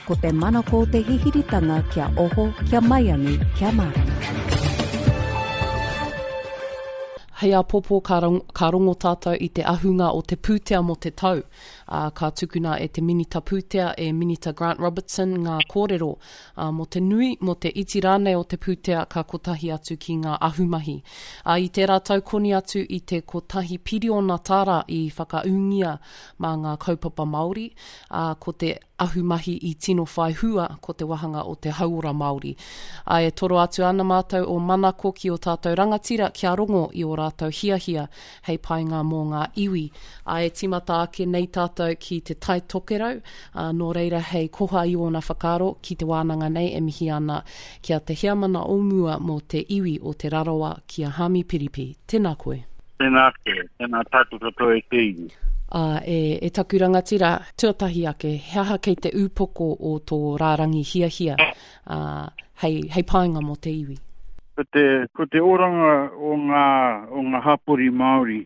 Ko te manako o te hihiritanga kia oho, kia maiangi, kia mārama. Hei āpōpō ka, ka rongo tātou i te ahunga o te pūtea mō te tau, ā, ka tukuna e te Minita Pūtea, e Minita Grant Robertson ngā kōrero, ā, mō te nui, mō te iti rānei o te pūtea ka kotahi atu ki ngā ahumahi. Ā, i tērā tau koni atu i te kotahi piriona tāra i whakaūngia mā ngā kaupapa Māori, ā, ko te ahumahi i tino whai hua ko te wahanga o te hauora Māori. Ā, e toro atu ana mātou o Manako ki ō tātou rangatira kia rongo i ō rātou hiahia hei painga mō ngā iwi. Ā, e tīmata ake nei tātou ki Te Tai Tokerau, ā, nō reira hei koha i ōna whakaaro ki te wānanga nei e mihi ana ki a te heamana o mua mō te iwi o Te Rarawa ki a Haami Piripi. Tēnā koe. Tēnā koe, tēnā tātou katoa e te iwi. Ā, e, e taku rangatira, tuatahi ake, he aha kei te ūpoko o tō rārangi hiahia, ā, hei, hei painga mō te iwi? Ko te, ko te oranga o ngā, o ngā hapori Māori,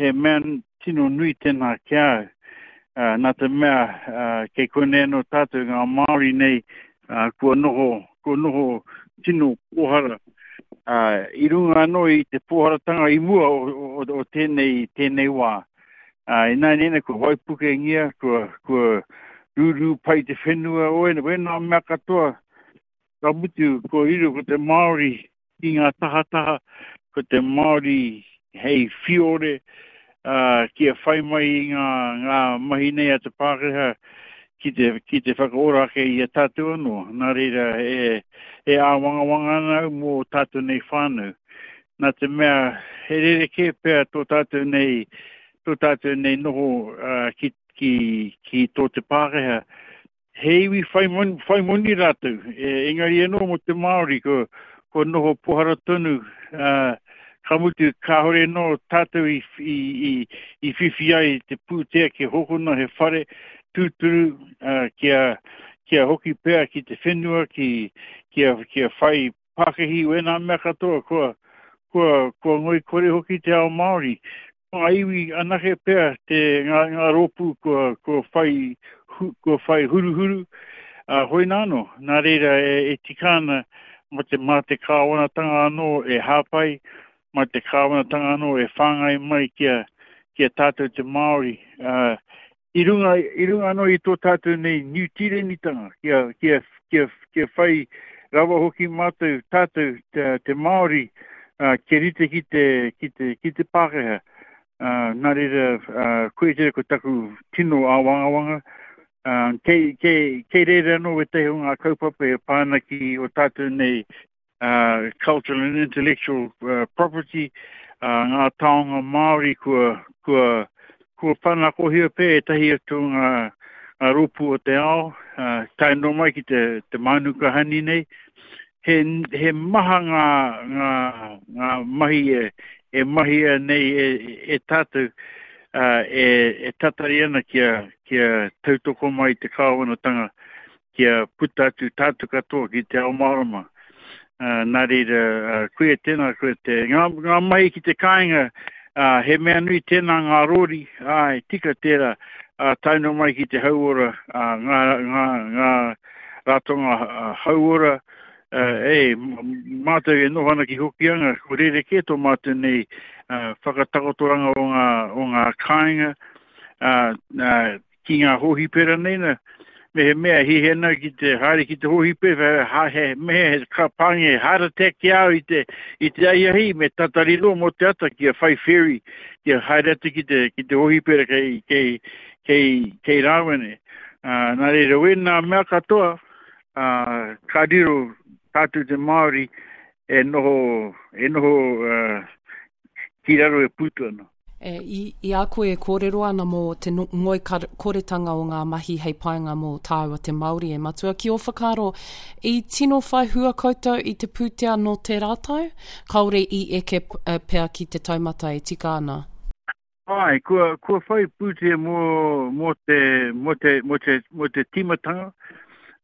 he mea tino nui tēnā ki a au. Ā, nā te mea, ā, kei konei anō tātou ngā Māori nei, ā, kua noho, kua noho tino pōhara, ā, i runga anō i te pōharatanga i mua o, o, o tēnei, tēnei wā. Ā, ināianei nei kua waipukengia, kua, kua rūrū pai te whenua, o wēnā mea katoa, ka mutu kua riro ko te Māori ki ngā tahataha, ko te Māori hei whiore, ā, kia whai mai i ngā, ngā mahi nei a te Pākehā ki te, ki te whakaora ake i a tātou anō. Nā reira, e, e āwangawanga ana au mō tātou nei whānau. Nā te mea, he rerekē pea tō tātou nei, tō tātou nei noho uh, ki, ki, ki tō te Pākehā. He iwi whai moni, whai moni rātou, e, engari anō mō te Māori, ko, ko noho pohara tonu, uh, ka mutu kāore anō tātou i, i, i, i whiwhi ai te pūtea kia hokona he whare tūturu, uh, kia, kia hoki pea ki te whenua, ki, kia, kia whai pākihi wēnā mea katoa, kua, kua, kua ngoikore hoki te ao Māori. Ko ngā iwi anake pea te, ngā, ngā rōpū kua, kua whai, hu, kua whai huruhuru, ā, hoina anō. Nā reira e, e tika ana mā te, mā te kāwanatanga anō e hāpai, mā te kāwanatanga anō e whāngai mai ki a, ki a tātou te Māori, ā, I runga, i runga anō i tō tātou nei Niu Tīrenitanga, kia, kia, kia, kia whai rawa hoki mātou, tātou, te, te Māori, uh, kia rite ki te, ki te, ki te Pākehā. Uh, nā reira, uh, koia tērā ko taku tino āwangawanga. Uh, kei, kei, kei reira anō wētahi o ngā kaupapa e pā ana ki o tātou nei uh, cultural and intellectual uh, property, uh, ngā taonga Māori kua, kua, kua whanakohia pea ētahi atu ngā, ngā rōpū o te ao, uh, tae noa mai ki te, te mānuka hani nei. He, he maha ngā, ngā, ngā mahi e, e mahia nei e, e tātou uh, e, e tatari ana kia, kia tautoko mai te kāwanatanga kia puta atu tātou katoa ki te ao mārama. Uh, nā reira, uh, koia tēnā, koia te, ngā, ngā mahi ki te kāinga, uh, he mea nui tēnā ngā rōri, āe, tika tērā, uh, tae noa mai ki te hauora, uh, ngā, ngā, ngā ratonga uh, hauora, uh, e, mātou e noho ana ki Hokianga, ko rerekē tō mātou nei uh, whakatakotoranga o ngā, o ngā kāinga, uh, uh, ki ngā hōhipera nei na, me he mea hiahia ana ki te haere ki te hōhipera, ha, he, me he ka pāngia he heart attack ki a au i te, i te ahiahi, me tatari noa mō te ata kia whai ferry, kia haere atu ki te, ki te hōhipera kei, kei, kei, kei Rāwene. Uh, nā reira, wēnā mea katoa, uh, ka riro tātou te Māori e noho, e noho uh, ki raro e pūtu ana. E, i, i a koe e kōrero ana mō te ngoikoretanga o ngā mahi hei painga mō tāua te Māori e Matua, ki ō whakaaro, i tino whai hua koutou i te pūtea nō tērā tau? Kāore i eke pea ki te taumata e tika ana? Āe, kua, kua whai pūtea mō, mō te, mō te, mō te, mō te tīmatanga,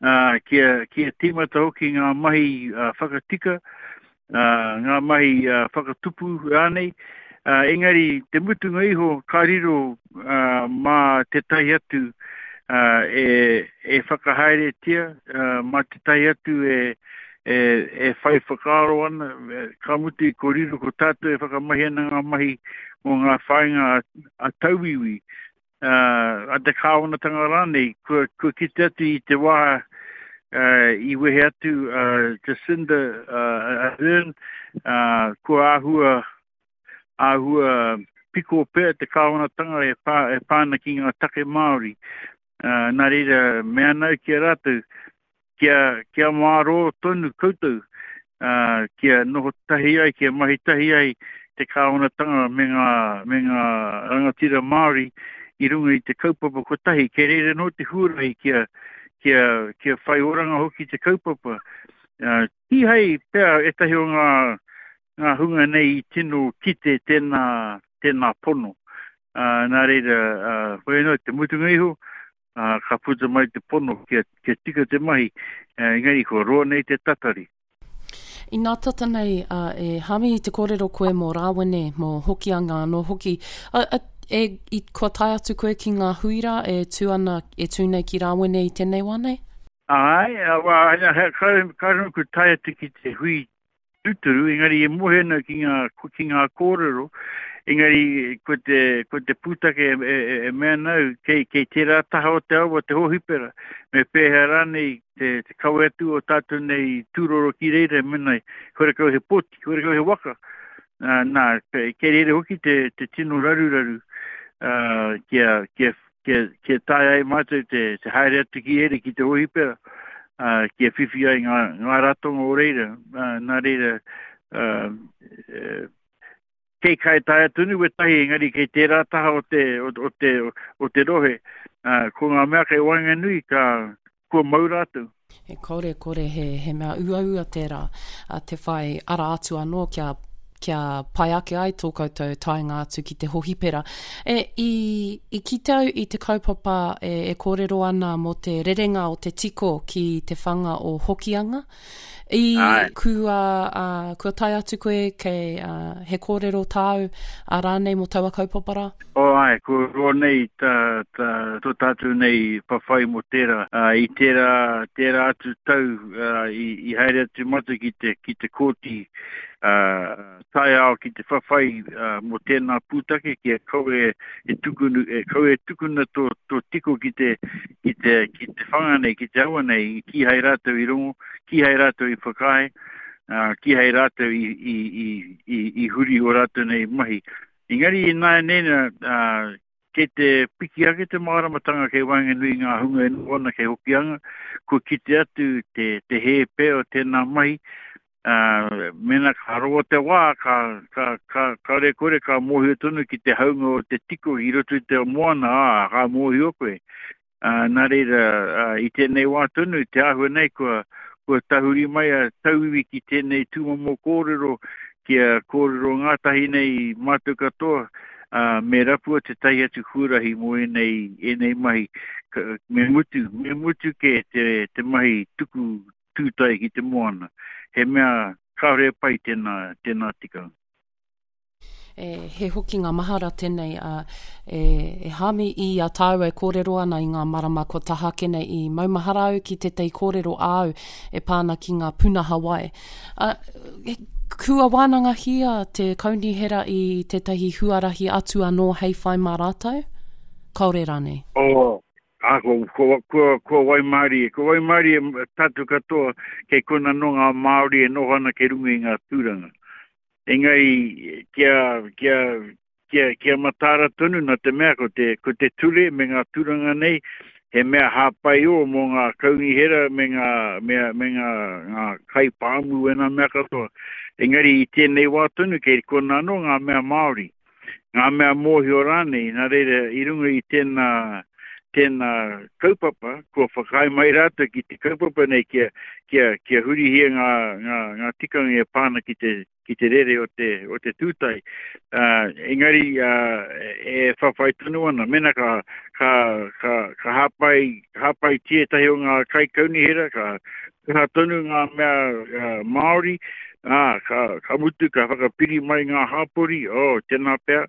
ā, kia, kia tīmata hoki ngā mahi uh, whakatika, ngā mahi whakatupu rānei, engari te mutunga iho ka riro mā tētahi atu. e, e whakahaeretia mā tētahi atu e, e, e whai whakaaro ana, ka mutu ko riro ko tātou e whakamahi ana ngā mahi mō ngā whāinga a, a tauiwi, a te kāwanatanga rānei, kua, kua kite atu i te wā i wehe atu a Jacinda Ardern, kua āhua, āhua piko pea te kāwanatanga e pā, e pā ana ki ngā take Māori. Nā reira, mea ana au ki a rātou, kia, kia mārō tonu koutou, ā, kia noho tahi ai, kia mahi tahi ai te kāwanatanga me ngā, me ngā rangatira Māori i runga i te kaupapa kotahi, kei reira anō te huarahi kia, kia, kia whai oranga hoki te kaupapa. Ā, kīhai pea ētahi o ngā, ngā hunga nei i tino kite tēnā, tēnā pono. Ā, nā reira, ā, hoi anō, te mutunga iho, ā, ka puta mai te pono kia, kia tika te mahi, engari kua roa nei te tatari. Inā tata nei, ā, e Hami i te kōrero koe mō Rāwene, mō Hokianga anō hoki, a, a, e, i, kua tae atu koe ki ngā hui rā e tū ana, e tū nei ki Rāwene i tēnei wā nei? Āe, ā, wā, kāre, kāre anō kua tae atu ki te hui tūturu, engari e moe ana ki ngā, ki ngā kōrero, engari ko te, ko te pūtake e, e, e mea ana au, kei, kei tērā taha o te awa, te hōhipera, me pēhea rānei te, te kawe atu o tātou nei tūroro ki reira, mena, horekau he poti, horekau he waka, nā, nā, kei reira hoki te, te tino raruraru, uh, kia, kia kia, kia taea ai mātou te, te haere atu ki reira, ki te hōhipera, uh, kia whiwhi ai ngā, ngā ratonga o reira. Uh, nā reira, uh, kei kai taea tonu wetahi, engari kei tērā taha o te, o, o te, o te rohe, uh, ko ngā mea kei waenganui, ka, kua mau rātou. E kore, kore he, he mea uaua tērā, a, te whai ara atu anō kia, kia pai ake ai tō koutou taenga atu ki te hohipera. E, i, i kite au i te kaupapa e, e kōrero ana mō te rerenga o te tiko ki te whanga o Hokianga. I, Ai. kua, a, kua tae atu koe kei, a, he kōrero tāu a rānei mō taua kaupapa rā? Oh āe, kua roa nei tā, tā, tō tātou nei whawhai mō tērā. Ā, i tērā, tērā atu tau, ā, i, i haere atu mātou ki te, ki te kōti, ā, taiao ki te whawhai, ā, mō tēnā pūtake kia kaua e tukunu, e kaua e tukuna tō, tō tiko ki te, ki te, ki te whanga nei, ki te awa nei, kīhai rātou i rongo, kīhai rātou i whakaae, ā, kīhai rātou i, i, i, i, i huri ō rātou nei mahi. Engari ināianei nā, ā, kei te piki ake te māramatanga kei waenganui i ngā hunga e noho ana kei Hokianga, kua kite atu te, te hē pea o tēnā mahi, ā, mēnā ka roa te wā, ka, ka, ka, kāore e kore ka mōhio tonu ki te haunga o te tiko i roto i te moana, ā, ka mōhio koe. Ā, nā reira, ā, i tēnei wā tonu, te āhua nei kua, kua tahuri mai a tauiwi ki tēnei tūmomo kōrero, kia kōrero ngātahi nei mātou katoa, ā, me rapua tētahi atu huarahi mō ēnei, ēnei mahi. Ka, me mutu, me mutu kē te, te mahi tuku tūtai ki te moana. He mea kāore e pai tēnā, tēnā tikanga. E, he hokinga mahara tēnei, a, e, e Hāmi, i a tāua e kōrero ana i ngā marama kua taha ake nei, i maumahara au ki tētahi kōrero āu e pā ana ki ngā pūnaha wai. A, e, kua wānangahia te kaunihera i tētahi huarahi atu anō hei whai mā rātou? Kāore rānei? Oh, a, kua, kua, kua, kua waimārie, kua waimārie tātou katoa kei kona nō ngā Māori e noho ana kei runga i ngā tūranga. Engari, kia, kia, kia, kia mataara tonu nā te mea ko te, ko te ture me ngā tūranga nei, he mea hāpai ō mō ngā kaunihera me ngā, me, me ngā, ngā kaipāmu e ngā mea katoa. Engari i tēnei wā tonu kei kona anō ngā mea Māori, ngā mea mōhio rānei, nā reira i runga i tēnā, tēnā kaupapa, kua whakaae mai rātou ki te kaupapa nei kia, kia, kia hurihia ngā, ngā, ngā tikanga e pā ana ki te, ki te rere o te, o te tūtai. Uh, engari, uh, e whawhai tonu ana, mena ka, ka, ka, ka hāpai, hāpaitia ētahi o ngā kaikaunihera, ka kaha tonu ngā mea uh, Māori, ā, ka, ka mutu, ka whakapiri mai ngā hāpori, oh, tēnā pea,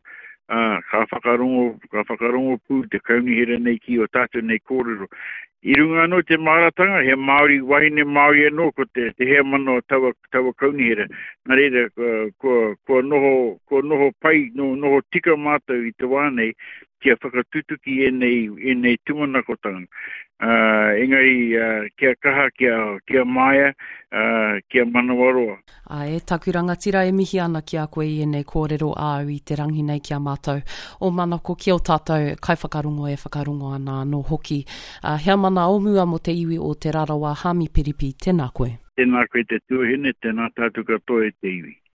Ā, ka whakarongo, ka whakarongo pū te kaunihera nei ki ō tātou nei kōrero. I runga anō te māratanga, he Māori, wahine Māori anō ko te, te heamana o taua, taua kaunihera. Nā reira, kua, kua noho, kua noho pai, no, noho tika mātou i te wā nei kia whakatutuki ēnei, ēnei tūmanakotanga. Ā, engari, ā, kia kaha, kia, kia māia, ā, kia manawaroa. Ā, e taku rangatira e mihi ana ki a koe i ēnei kōrero āu i te rangi nei ki a mātou. Ō manako ki ō tātou kaiwhakarongo e whakarongo ana anō hoki. Ā, heamana o mua mō te iwi o Te Rarawa, Haami Piripi, tēnā koe. Tēnā koe te tuahine, tēnā tātou katoa e te iwi.